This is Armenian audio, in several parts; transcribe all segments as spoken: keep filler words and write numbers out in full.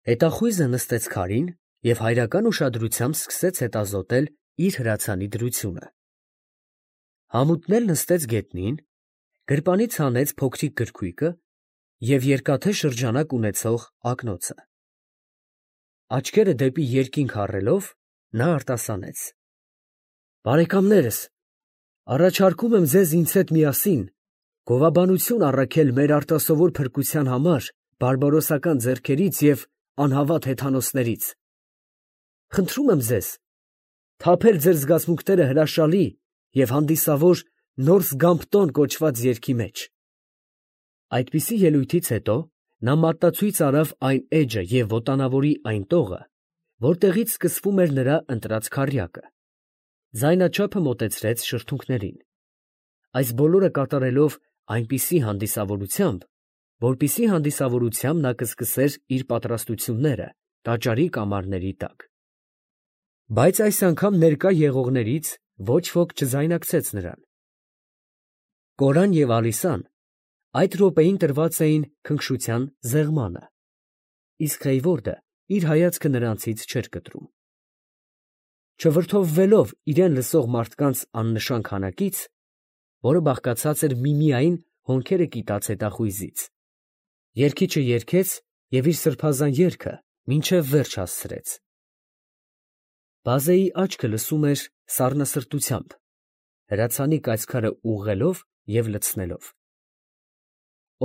Հետախույզը նստեց քարին և հայրական ուշադրությամբ սկսեց հետազոտել իր հրացանի դրությունը։ Համութն էլ նստեց գետնին, գրպանից հանեց փոքրիկ գրքույկը և երկաթե շրջանակ ունեցող ակնոցը։ Աչքերը դեպի երկինք հառելով, նա արտասանեց. «Բարեկամներս, առաջարկում եմ ձեզ ինձ հետ միասին գովաբանություն առաքել մեր արտասովոր փրկության համար բարբարոսական ձեռքերից և անհավատ հեթանոսներից։ Խնդրում եմ ձեզ թափել ձեր զգացմունքները հրաշալի և հանդիսավոր նոր Զգամփտոն կոչված երգի մեջ»։ Այդպիսի ելույթից հետո նա մատնացույց արավ այն էջը և ոտանավորի այն տողը, որտեղից սկսվում էր նրա ընտրած քառյակը, ձայնաչափը մոտեցրեց շրթունքներին, այս բոլորը կատարելով այնպիսի հանդիսավորությամբ, որպիսի հանդիսավորությամբ նա կսկսեր իր պատրաստությունները տաճարի կամարների տակ։ Բայց այս անգամ ներկա եղողներից ոչ ոք չձայնակցեց նրան։ Կորան և Ալիսան այդ րոպեին տրված էին քնքշության զեղմանը, իսկ Խեյվորդը իր հայացքը նրանցից չէր կտրում։ Չվրդովվելով իրան լսող մարդկանց աննշան քանակից, որը բաղկացած էր միմիայն հոնքերը կիտած հետախույզից, երգիչը երգեց և իր սրբազան երգը մինչև վերջ հասցրեց։ Բազեի աչքը լսում էր սառնասրտությամբ, հրացանի կայծքարը ուղղելով և լցնելով։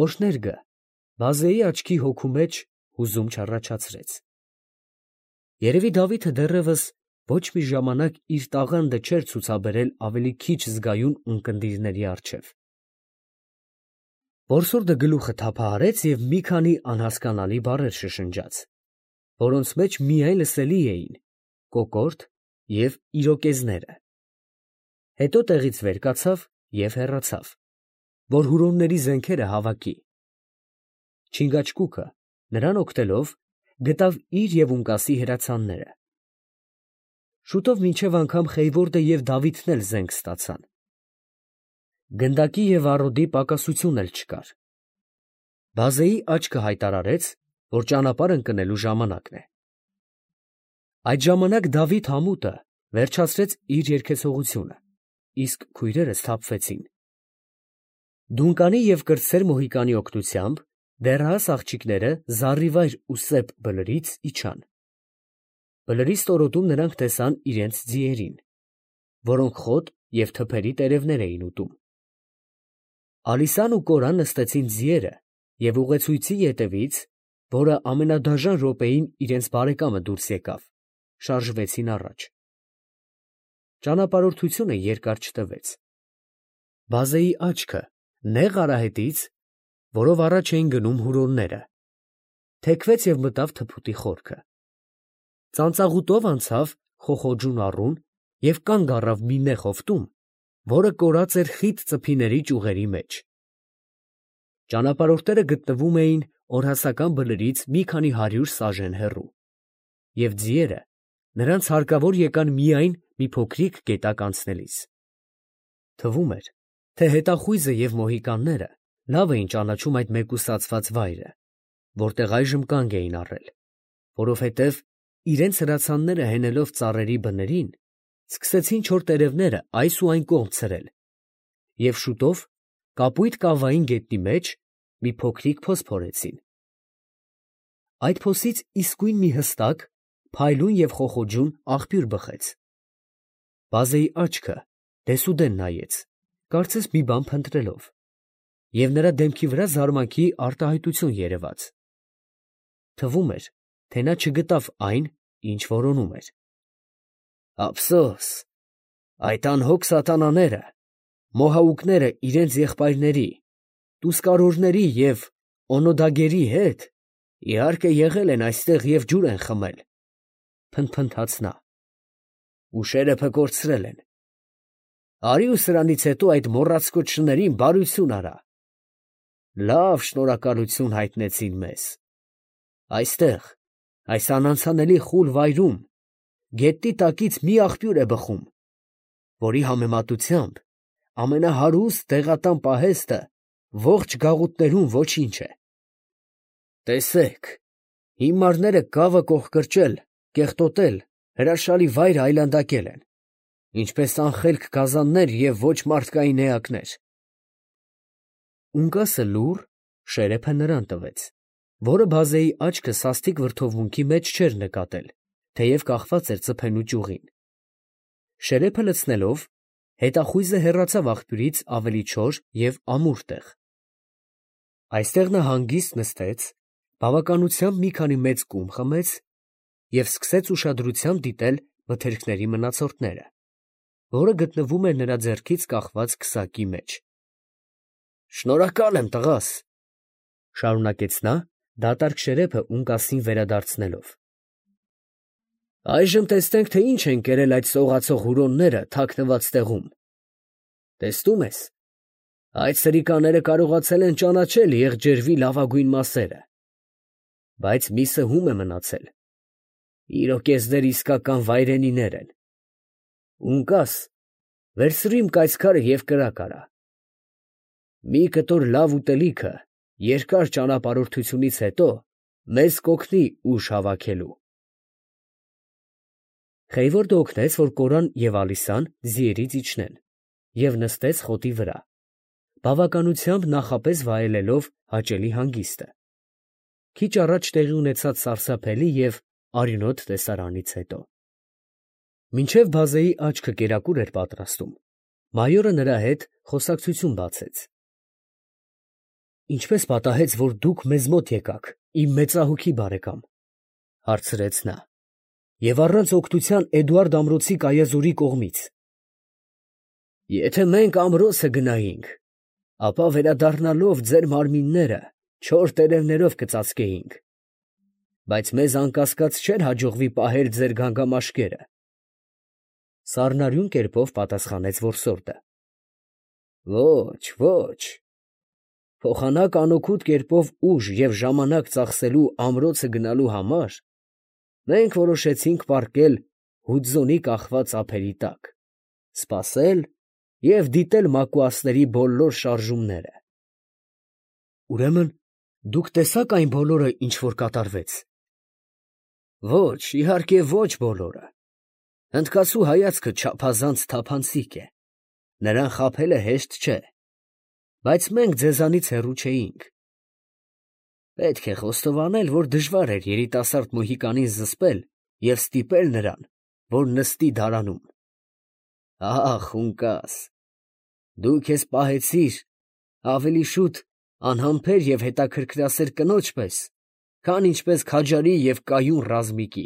Օրհներգը բազեի աչքի հոգու մեջ հուզում չառաջացրեց։ Երևի Դավիթը դեռևս ոչ մի ժամանակ իր տաղանդը չէր ցուցաբերել ավելի քիչ զգայուն ունկնդիրների առջև։ Բորսորդը գլուխը թափահարեց և մի քանի անհասկանալի բառեր շշնջաց, որոնց մեջ միայն լսելի էին կոկորդ և իրոկեզները։ Հետո տեղից վեր կացավ և հեռացավ, որ հուրոնների զենքերը հավաքի։ Չինգաչկուկը, նրան օգտելով, գտավ իր և ունկասի հրացանները։ Շուտով մինչև անգամ Խեյվորդը և Դավիթն էլ զենք ստացան։ Գնդակի և առօդի պակասություն էլ չկար։ Բազեի աչքը հայտարարեց, որ ճանապարհ ընկնելու ժամանակն է։ Այդ ժամանակ Դավիթ համուտը վերջացրեց իր երգեցողությունը, իսկ քույրերը սթափվեցին։ Դունկանի և կրտսեր Մոհիկանի օգնությամբ դեռահաս աղջիկները զառիվայր ու սեպ բլրից իջան։ Բլրի ստորոտում նրանք տեսան իրենց ձիերին, որոնք խոտ և թփերի տերևներ էին ուտում։ Ալիսան ու Կորան նստեցին ձիերը և ուղեցույցի ետևից, որը ամենադաժան րոպեին իրենց բարեկամը դուրս եկավ, շարժվեցին առաջ։ Ճանապարհորդությունը երկար չտևեց։ Բազեի աչքը նեղ արահետից, որով առաջ էին գնում հուրոնները, թեքվեց և մտավ թփուտի խորքը։ Ծանծաղուտով անցավ Խոխոջուն առուն և կանգ առավ մի նեղ հովտում, որը կորած էր խիտ ծփիների ճյուղերի մեջ։ Ճանապարհորդները գտնվում էին օրհասական բլրից մի քանի հարյուր սաժեն հեռու, և ձիերը նրանց հարկավոր եկան միայն մի փոքրիկ գետակ անցնելիս։ Թվում էր, թե հետախույզը և մոհիկանները լավ էին ճանաչում այդ մեկուսացված վայրը, որտեղ այժմ կանգ էին առել, որովհետև իրենց հրացանները հենելով ծառերի բներին, սկսեցին չոր տերևները այս ու այն կողմ ցրել, և շուտով կապույտ կավային գետնի մեջ մի փոքրիկ փոս փորեցին։ Այդ փոսից իսկույն մի հստակ, փայլուն և խոխոջուն աղբյուր բխեց։ Բազեի աչքը դեսուդեն նայեց, կարծես մի բան փնտրելով, և նրա դեմքի վրա զարմանքի արտահայտություն երևաց։ Թվում էր, թե նա չգտավ այն, ինչ որոնում էր։ Ափսոս, այդ անհոգ սատանաները, մոհաուկները իրենց եղբայրների, տուսկարորների և օնոդագերի հետ, իհարկե, եղել են այստեղ և ջուր են խմել, ֊ փնթփնթաց նա, ֊ ուշերը փկորցրել են։ Արի ու սրանից հետո այդ մոռացկոտ շներին բարություն արա։ Լավ շնորհակալություն հայտնեցին մեզ։ Այստեղ, այս անանցանելի խուլ վայրում, գետնի տակից մի աղբյուր է բխում, որի համեմատությամբ ամենահարուստ դեղատան պահեստը ողջ գաղութներում ոչինչ է։ Տեսեք, Հիմարները կավը կողկրճել, կեղտոտել, հրաշալի վայր այլանդակել են, ինչպես անխելք գազաններ և ոչ մարդկային էակներ։ Ունկասը լուռ շերեփը նրան տվեց, որը բազեի աչքը սաստիկ վրդովմունքի մեջ չէր նկատել, թեև կախված էր ծփենու ճյուղին։ Շերեփը լցնելով, հետախույզը հեռացավ աղբյուրից ավելի չոր և ամուր տեղ։ Այստեղ նա հանգիստ նստեց, բավականությամբ մի քանի մեծ կում խմեց և սկսեց ուշադրությամբ դիտել մթերքների մնացորդները, որը գտնվում էր նրա ձեռքից կախված քսակի մեջ։ ֊ Շնորհակալ եմ, տղաս, ֊ շարունակեց նա, դատարկ շերեփը Ունկասին վերադարձնելով. այժմ տեսնենք, թե ինչ են կերել այդ սողացող հուրոնները թաքնված տեղում. տեսնում ես, այդ սրիկաները կարողացել են ճանաչել եղջերվի լավագույն մասերը, բայց մի սհում է մնացել. իրոկեզներ իսկական վայրենիներ են։ Ունկաս, վերցրու իմ կայծքարը և կրակ արա։ Մի կտոր լավ ուտելիքը երկար ճանապարհորդությունից հետո մեզ կօգնի ուժ հավաքելու։ Խեյվորդը օգնեց, որ Կորան և Ալիսան ձիերից իջնեն, և նստեց խոտի վրա, բավականությամբ նախապես վայելելով հաճելի հանգիստը, քիչ առաջ տեղի ունեցած սարսափելի և արյունոտ տեսարանից հետո։ Մինչև բազեի աչքը կերակուր էր պատրաստում, մայորը նրա հետ խոսակցություն բացեց։ ֊ Ինչպե՞ս պատահեց, որ դուք մեզ մոտ եկաք, իմ մեծահոգի բարեկամ, ֊ հարցրեց նա, ֊ և առանց օգնության Էդուարդ ամրոցի կայազորի կողմից։ ֊ Եթե մենք ամրոցը գնայինք, ապա վերադառնալով ձեր մարմինները չոր տերևներով կծածկեինք, բայց մեզ անկասկած չէր հաջողվի պահել ձեր գանգամաշկերը, ֊ սառնարյուն կերպով պատասխանեց որսորդը։ ֊ Ո՛չ, ո՛չ, փոխանակ անօգուտ կերպով ուժ և ժամանակ ծախսելու ամրոցը գնալու համար մենք որոշեցինք պառկել հուդզոնի կախված ափերի տակ, սպասել և դիտել մակուասների բոլոր շարժումները։ ֊ Ուրեմն դուք տեսա՞ք այն բոլորը, ինչ որ կատարվեց։ ֊ Ոչ, իհարկե ոչ բոլորը. հնդկացու հայացքը չափազանց թափանցիկ է, նրան խաբելը հեշտ չէ, բայց մենք ձեզանից հեռու չէինք։ Պետք է խոստովանել, որ դժվար էր երիտասարդ մոհիկանին զսպել և ստիպել նրան, որ նստի դարանում։ Ա՜խ, Ունկաս, դու քեզ պահեցիր ավելի շուտ անհամբեր և հետաքրքրասեր կնոջ պես, քան ինչպես քաջարի և կայուն ռազմիկի։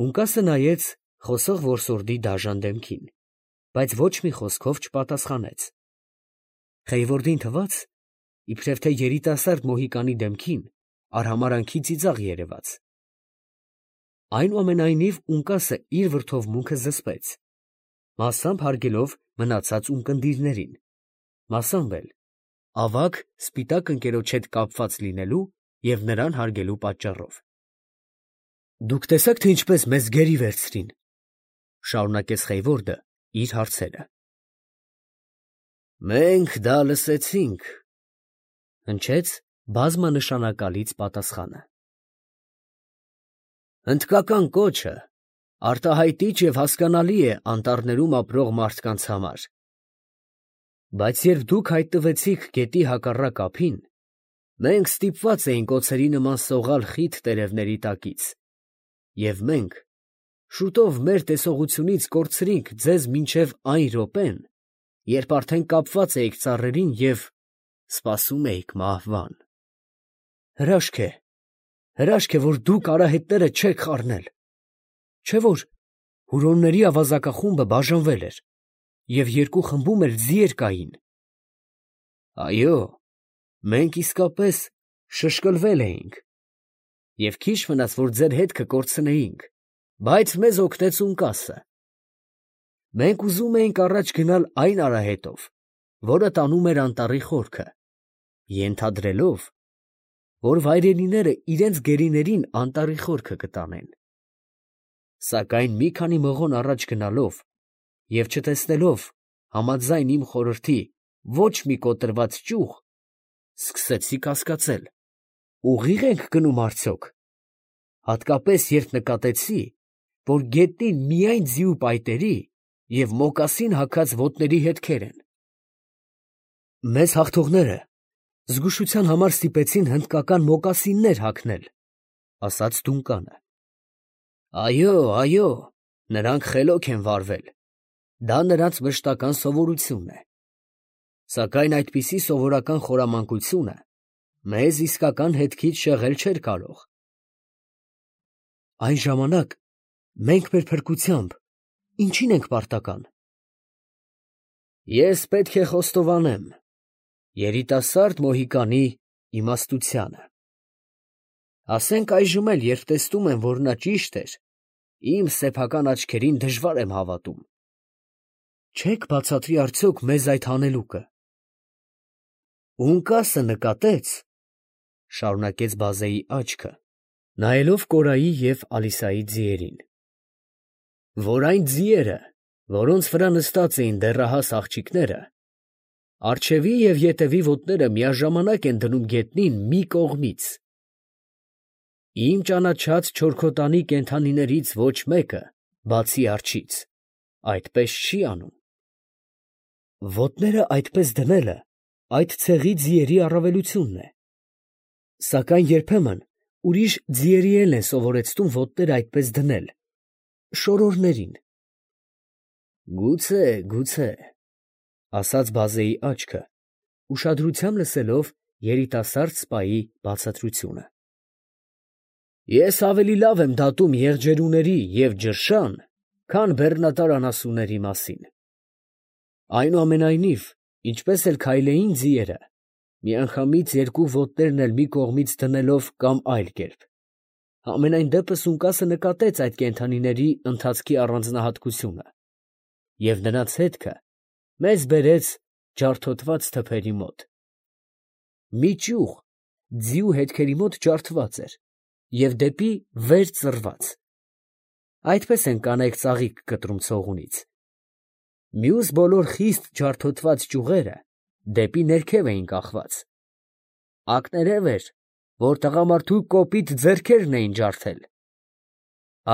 Ունկասը նայեց խոսող որսորդի դաժան դեմքին, բայց ոչ մի խոսքով չպատասխանեց։ Խեյվորդին թվաց, իբրև թե երիտասարդ մոհիկանի դեմքին արհամարհանքի ծիծաղ երևաց։ Այնուամենայնիվ Ունկասը իր վրդովմունքը զսպեց, մասամբ հարգելով մնացած ունկնդիրներին, մասամբ էլ ավագ սպիտակ ընկերոջ հետ կապված լինելու և նրան հարգելու պատճառով։ ֊ Դուք տեսա՞ք, թե ինչպես մեզ գերի վերցրին, ֊ շարունակեց Խեյվորդը իր հարցերը։ ֊ Մենք դա լսեցինք, ֊ հնչեց բազմանշանակալից պատասխանը։ Հնդկական կոչը արտահայտիչ և հասկանալի է անտառներում ապրող մարդկանց համար, բայց երբ դուք հայտնվեցիք գետի հակառակ ափին, մենք ստիպված էինք օձերի նման սողալ խիտ տերևների տակից, և մենք շուտով մեր տեսողությունից կորցրինք ձեզ մինչև այն րոպեն, երբ արդեն կապված էիք ծառերին և սպասում էիք մահվան։ Հրաշք է, հրաշք է, որ դուք արահետները չեք խառնել, չէ՞ որ հուրոնների ավազակախումբը բաժանվել էր, և երկու խմբում էլ ձիեր կային։ Այո, մենք իսկապես շշկլվել էինք, և քիչ մնաց, որ ձեր հետքը կորցնեինք, բայց մեզ օգնեց Ունկասը։ Մենք ուզում էինք առաջ գնալ այն արահետով, որը տանում էր անտառի խորքը, ենթադրելով, որ վայրենիները իրենց գերիներին անտառի խորքը կտանեն։ Սակայն մի քանի մղոն առաջ գնալով և չտեսնելով համաձայն իմ խորհրդի ոչ մի կոտրված ճյուղ, սկսեցի կասկածել, Ուղիղ ենք գնում արդյոք, հատկապես երբ նկատեցի, որ գետնին միայն ձիու պայտերի և մոկասին հագած ոտների հետքեր են։ Մեզ հաղթողները զգուշության համար ստիպեցին հնդկական մոկասիններ հագնել, ֊ ասաց Դունկանը։ Այո, այո, նրանք խելոք են վարվել, դա նրանց մշտական սովորությունն է, սակայն այդպիսի սովորական խորամանկությունը մեզ իսկական հետքից շեղել չէր կարող։ Այն ժամանակ մենք մեր փրկությամբ ինչի՞ն ենք պարտական։ Ես պետք է խոստովանեմ երիտասարդ Մոհիկանի իմաստությանը։ Ասենք այժմ էլ, երբ տեսնում եմ, որ նա ճիշտ էր, իմ սեփական աչքերին դժվար եմ հավատում։ Չե՞ք բացատրի արդյոք մեզ այդ հանելուկը։ Ունկասը նկատեց, ֊ շարունակեց բազեի աչքը, նայելով Կորայի և Ալիսայի ձիերին, որ այն ձիերը, որոնց վրա նստած էին դեռահաս աղջիկները, առջևի և ետևի ոտները միաժամանակ են դնում գետնին մի կողմից։ Իմ ճանաչած չորքոտանի կենդանիներից ոչ մեկը, բացի արջից, այդպես չի անում։ Ոտները այդպես դնելը այդ ցեղի ձիերի առավելությունն է, սակայն երբեմն ուրիշ ձիերի էլ են սովորեցնում ոտները այդպես դնել, շորորներին։ Գուցե, գուցե, ֊ ասաց բազեի աչքը, ուշադրությամբ լսելով երիտասարդ սպայի բացատրությունը։ Ես ավելի լավ եմ դատում եղջերուների և ջրշան, քան բեռնատար անասունների մասին։ Այնուամենայնիվ, ինչպես էլ քայլեին ձիերը, միանգամից երկու ոտներն էլ մի կողմից դնելով կամ այլ կերպ, համենայն դեպս Ունկասը նկատեց այդ կենդանիների ընթացքի առանձնահատկությունը, և նրանց հետքը մեզ բերեց ջարդոտված թփերի մոտ։ Մի ճյուղ ձիու հետքերի մոտ ջարդված էր և դեպի վեր ծռված, այդպես են կանայք ծաղիկ կտրում ցողունից, մյուս բոլոր խիստ ջարդոտված ճյուղերը դեպի ներքև էին կախված, ակներև էր, որ տղամարդու կոպիտ ձեռքերն էին ջարդել։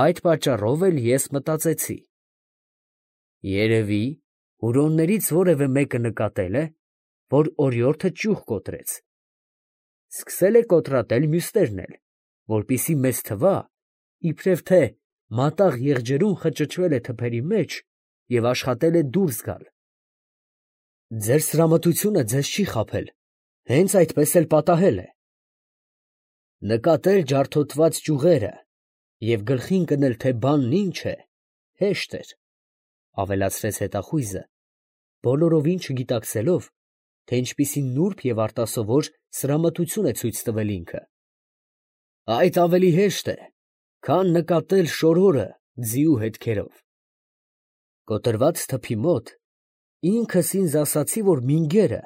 Այդ պատճառով էլ ես մտածեցի. երևի հուրոններից որևէ մեկը նկատել է, որ օրիորդը ճյուղ կոտրեց, սկսել է կոտրատել մյուսներն էլ, որպեսզի մեզ թվա, իբրև թե մատաղ եղջերուն խճճվել է թփերի մեջ և աշխատել է դուրս գալ։ Ձեր սրամտությունը ձեզ չի խաբել, հենց այդպես էլ պատահել է։ Նկատել ջարդոտված ճյուղերը և գլխին կնել, թե բանն ինչ է, հեշտ էր, ֊ ավելացրեց հետախույզը, բոլորովին չգիտակցելով, թե ինչպիսի նուրբ և արտասովոր սրամտություն է ցույց տվել ինքը։ Այդ ավելի հեշտ է, քան նկատել շորորը ձիու հետքերով։ Կոտրված թփի մոտ ինքս ինձ ասացի, որ մինգերը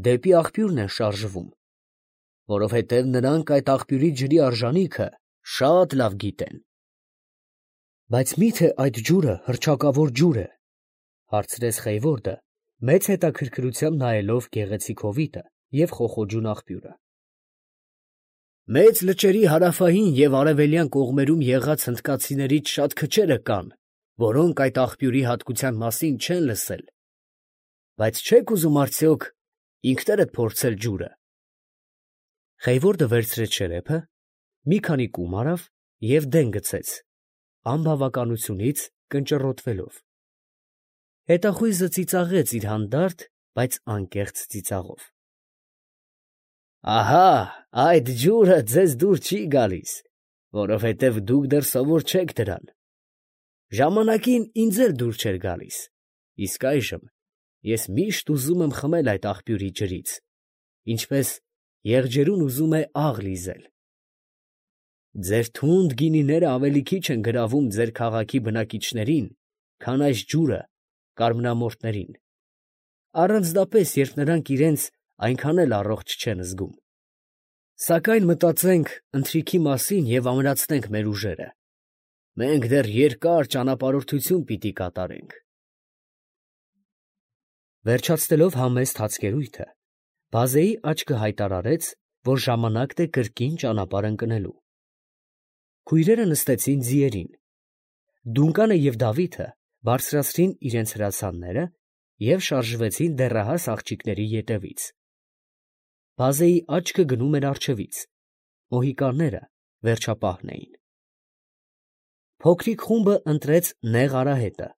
դեպի աղբյուրն են շարժվում, որովհետև նրանք այդ աղբյուրի ջրի արժանիքը շատ լավ գիտեն։ Բայց մի՞թե այդ ջուրը հռչակավոր ջուր է, ֊ հարցրեց Խեյվորդը, մեծ հետաքրքրությամբ նայելով գեղեցիկ հովիտը և խոխոջուն աղբյուրը։ Մեծ լճերի հարավային և արևելյան կողմերում եղած հնդկացիներից շատ քչերը կան, որոնք այդ աղբյուրի հատկության մասին չեն լսել, բայց չե՞ք ուզում արդյոք ինքներդ փորձել ջուրը։ Խեյվորդը վերցրեց շերեփը, մի քանի կում արավ և դեն գցեց, անբավականությունից կնճռոտվելով։ Հետախույզը ծիծաղեց իր հանդարտ, բայց անկեղծ ծիծաղով։ Ահա, այդ ջուրը ձեզ դուր չի գալիս, որովհետև դուք դեռ սովոր չեք դրան. ժամանակին ինձ էլ դուր չէր գալիս, իսկ այժմ ես միշտ ուզում եմ խմել այդ աղբյուրի ջրից, ինչպես եղջերուն ուզում է աղ լիզել։ Ձեր թունդ գինիները ավելի քիչ են գրավում ձեր քաղաքի բնակիչներին, քան այս ջուրը կարմրամորթներին, առանձնապես, երբ նրանք իրենց այնքան էլ առողջ չեն զգում։ Սակայն մտածենք ընթրիքի մասին և ամրացնենք մեր ուժերը. մենք դեռ երկար ճանապարհորդություն պիտի կատարենք։ Վերջացնելով համեստ հացկերույթը, բազեի աչքը հայտարարեց, որ ժամանակն է կրկին ճանապարհ ընկնելու։ Քույրերը նստեցին ձիերին։ Դունկանը և Դավիթը բարձրացրին իրենց հրացանները և շարժվեցին դեռահաս աղջիկների ետևից։ Բազեի աչքը գնում էր առջևից, մոհիկանները վերջապահն էին։ Փոքրիկ խումբը ընտրեց նեղ արահետը,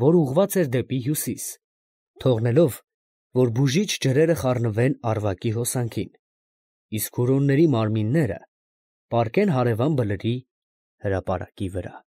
որ ուղղված էր դեպի հյուսիս, թողնելով, որ բուժիչ ջրերը խառնվեն Արվակի հոսանքին, իսկ հուրոնների մարմինները պառկեն հարևան բլրի հրապարակի վրա։